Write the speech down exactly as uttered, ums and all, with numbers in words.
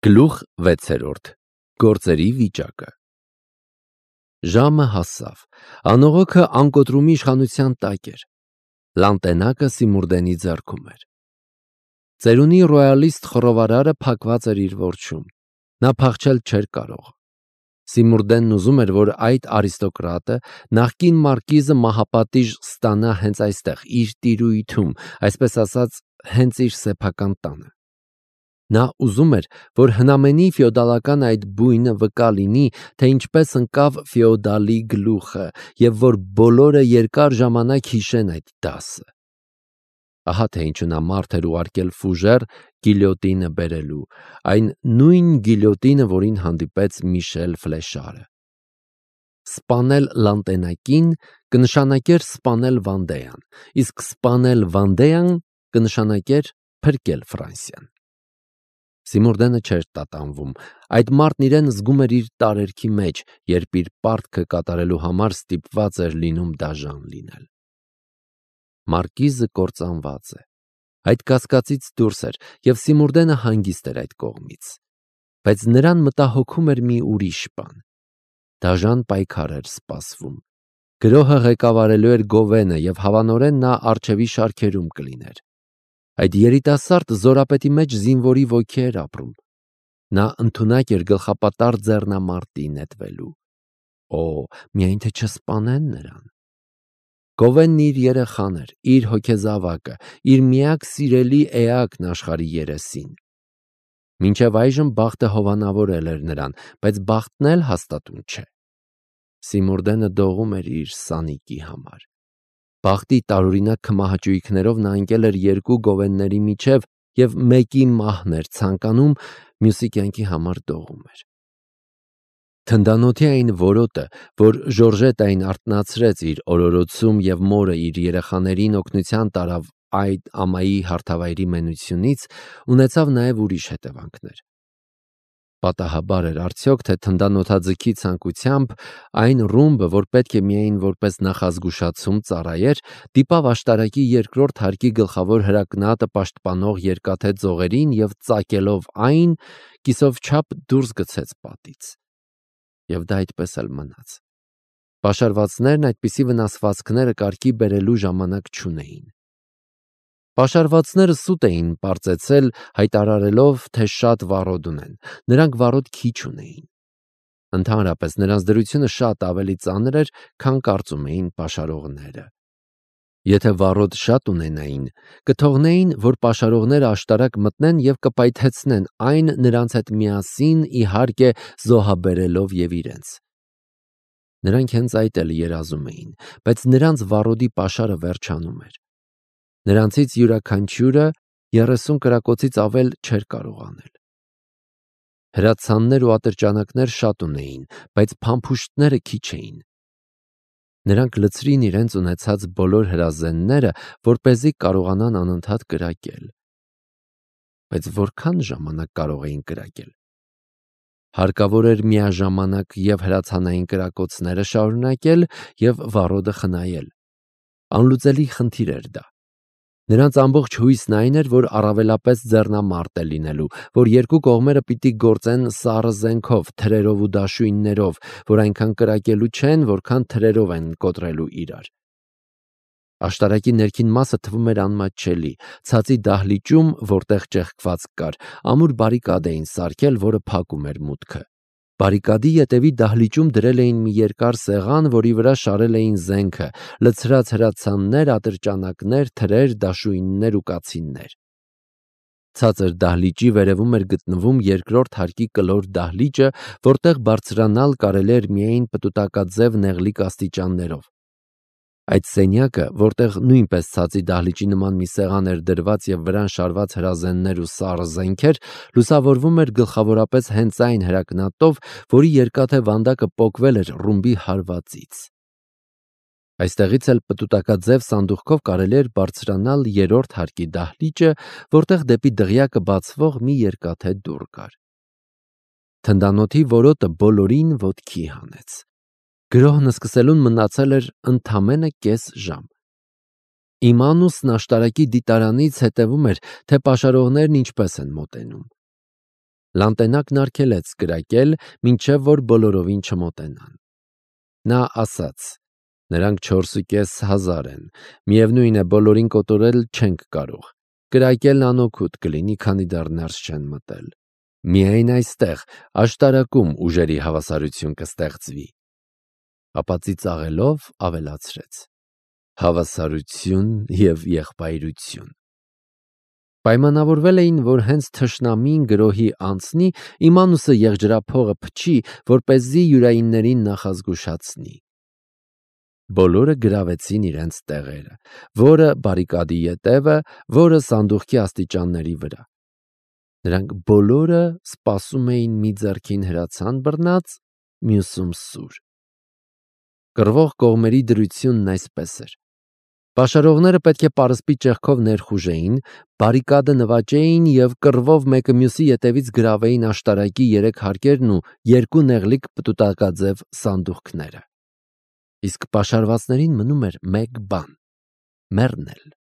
Գլուխ վեցերորդ. Գործերի վիճակը։ Ժամը հասավ, անողոքը անկոտրումի իշխանության տակ էր, լանտենակը Սիմուրդենի ձեռքում էր։ Ծերունի ռոյալիստ խռովարարը փակված էր իր որջում, նա փախչել չէր կարող։ Սիմուրդենն ուզում էր, որ այդ արիստոկրատը, նախկին մարկիզը մահապատիժ ստանա հենց այստեղ, իր տիրույթում, այսպես ասած, հենց իր սեփական տանը։ Նա ուզում էր, որ հնամենի ֆեոդալական այդ բույնը վկա լինի, թե ինչպես ընկավ ֆեոդալի գլուխը, և որ բոլորը երկար ժամանակ հիշեն այդ դասը։ Ահա թե ինչու նա մարդ էր ուղարկել Ֆուժեր գիլյոտինը բերելու, այն նույն գիլյոտինը, որին հանդիպեց Միշել Ֆլեշարը։ Սպանել լանտենակին կնշանակեր սպանել Վանդեյան, իսկ սպանել Վանդեյան կնշանակեր փրկել Ֆրանսիան։ Սիմուրդենը չէր տատանվում, այդ մարդն իրեն զգում էր իր տարերքի մեջ, երբ իր պարտքը կատարելու համար ստիպված էր լինում դաժան լինել։ Մարկիզը կործանված է, այդ կասկածից դուրս էր, և Սիմուրդենը հանգիստ էր այդ կողմից, բայց նրան մտահոգում էր մի ուրիշ բան։ Դաժան պայքար էր սպասվում, գրոհը ղեկավարելու էր Գովենը, և հավանորեն նա առջևի շարքերում կլիներ։ Այդ երիտասարդ զորապետի մեջ զինվորի ոգի էր ապրում։ Նա ընդունակ էր գլխապատառ ձեռնամարտի նետվելու։ Օ, միայն թե չսպանեն նրան։ Գովենն իր երեխան էր, իր հոգեզավակը, իր միակ սիրելի էակն աշխարհի երեսին։ Մինչև այժմ բախտը հովանավորել էր նրան, բայց բախտն էլ հաստատուն չէ։ Սիմուրդենը դողում էր իր սանիկի համար։ Բախտի տարօրինակ քմահաճույքներով նա ընկել էր երկու գովենների միջև և մեկի մահն էր ցանկանում, մյուսի կյանքի համար դողում էր։ Թնդանոթի այն որոտը, որ Ժորժետային արթնացրեց իր օրորոցում և մորը իր երեխաներին օգնության տարավ այդ ամայի հարթավայրի մենությունից, ունեցավ նաև ուրիշ հետևանքներ։ Պատահաբար էր արդյոք, թե թնդանոթաձգի ցանկությամբ այն ռումբը, որ պետք է միայն որպես նախազգուշացում ծառայեր, դիպավ աշտարակի երկրորդ հարկի գլխավոր հրակնատը պաշտպանող երկաթե ձողերին և ծակելով այն, կիսով չափ դուրս գցեց պատից։ Եվ դա այդպես էլ մնաց։ Պաշարվածներն այդպիսի վնասվածքները կարգի բերելու ժամանակ չունեին։ Պաշարվածները սուտ էին պարծեցել, հայտարարելով, թե շատ վառոդ ունեն, նրանք վառոդ քիչ ունեին։ Ընդհանրապես նրանց դրությունը շատ ավելի ծանր էր, քան կարծում էին պաշարողները։ Եթե վառոդ շատ ունենային, կթողնեին, որ պաշարողները աշտարակ մտնեն և կպայթեցնեն այն նրանց հետ միասին, իհարկե, զոհաբերելով և իրենց։ Նրանք հենց այդ էլ երազում էին, բայց նրանց վառոդի պաշարը վերջանում էր։ Նրանցից յուրաքանչյուրը երեսուն կրակոցից ավել չէր կարող անել։ Հրացաններ ու ատրճանակներ շատ ունեին, բայց փամփուշտները քիչ էին։ Նրանք լցրին իրենց ունեցած բոլոր հրազենները, որպեսզի կարողանան անընդհատ կրակել։ Բայց որքան ժամանակ կարող էին կրակել։ Հարկավոր էր միաժամանակ և հրացանային կրակոցները շարունակել, և վառոդը խնայել։ Անլուծելի խնդիր էր դա։ Նրանց ամբողջ հույսն այն էր, որ առավելապես ձեռնամարտ է լինելու, որ երկու կողմերը պիտի գործեն սառը զենքով, թրերով ու դաշույններով, որ այնքան կրակելու չեն, որքան թրերով են կոտրելու իրար։ Աշտարակի ներքին մասը թվում էր անմատչելի, ցածի դահլիճում, որտեղ ճեղքված կար, ամուր բարիկադ էին սարքել, որը փակում էր մուտքը։ Բարիկադի ետևի դահլիճում դրել էին մի երկար սեղան, որի վրա շարել էին զենքը, լցրած հրացաններ, ատրճանակներ, թրեր, դաշույններ ու կացիններ։ Ցածր դահլիճի վերևում էր գտնվում երկրորդ հարկի կլոր դահլիճը, որտեղ բարձրանալ կարելի էր միայն պտուտակաձև նեղլիկ աստիճաններով։ Այդ սենյակը, որտեղ նույնպես ցածի դահլիճի նման մի սեղան էր դրված և վրան շարված հրազեններ ու սառը զենքեր, լուսավորվում էր գլխավորապես հենց այն հրակնատով, որի երկաթե վանդակը պոկվել էր ռումբի հարվածից։ Այստեղից էլ պտուտակաձև սանդուղքով կարելի էր բարձրանալ երրորդ հարկի դահլիճը, որտեղ դեպի դղյակը բացվող մի երկաթե դուռ կար։ Թնդանոթի որոտը բոլորին ոտքի հանեց։ Գրոհն սկսելուն մնացել էր ընդամենը կես ժամ։ Իմանուսն աշտարակի դիտարանից հետևում էր, թե պաշարողներն ինչպես են մոտենում։ Լանտենակն արգելեց կրակել, մինչև որ բոլորովին չմոտենան։ Նա ասաց. «Նրանք չորսուկես հազար են, միևնույն է, բոլորին կոտորել չենք կարող, կրակելն անօգուտ կլինի, քանի դեռ ներս չեն մտել։ Միայն այստեղ, աշտարակում ուժերի հավասարություն կստեղծվի»։ Ապա ծիծաղելով ավելացրեց. «Հավասարություն և եղբայրություն»։ Պայմանավորվել էին, որ հենց թշնամին գրոհի անցնի, Իմանուսը եղջրափողը փչի, որպեսզի յուրայիններին նախազգուշացնի։ Բոլորը գրավեցին իրենց տեղերը, որը բարիկադի ետևը, որը սանդուղքի աստիճանների վրա։ Նրանք բոլորը սպասում էին մի ձեռքին հրացան բռնած, մյուսում սուր։ Կռվող կողմերի դրությունն այսպես էր. պաշարողները պետք է պարսպի ճեղքով ներխուժեին, բարիկադը նվաճեին և կռվով մեկը մյուսի ետևից գրավեին աշտարակի երեք հարկերն ու երկու նեղլիկ պտուտակաձև սանդուղքները։ Իսկ պաշարվածներին մնում էր մեկ բան՝ մեռնել։